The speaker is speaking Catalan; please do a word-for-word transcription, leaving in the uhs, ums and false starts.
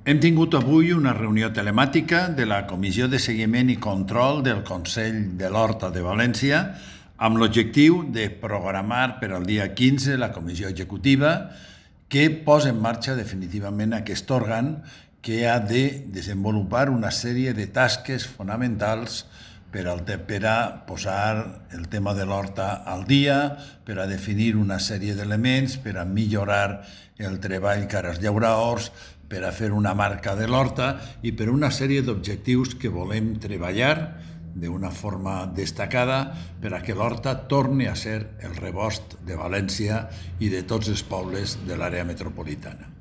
Hem tingut avui una reunió telemàtica de la Comissió de Seguiment i Control del Consell de l'Horta de València amb l'objectiu de programar per al dia quinze la Comissió Executiva que posa en marxa definitivament aquest òrgan que ha de desenvolupar una sèrie de tasques fonamentals per, al, per a posar el tema de l'horta al dia, per a definir una sèrie d'elements, per a millorar el treball cara als llauradors, per a fer una marca de l'horta i per una sèrie d'objectius que volem treballar d'una forma destacada per a que l'horta torni a ser el rebost de València i de tots els pobles de l'àrea metropolitana.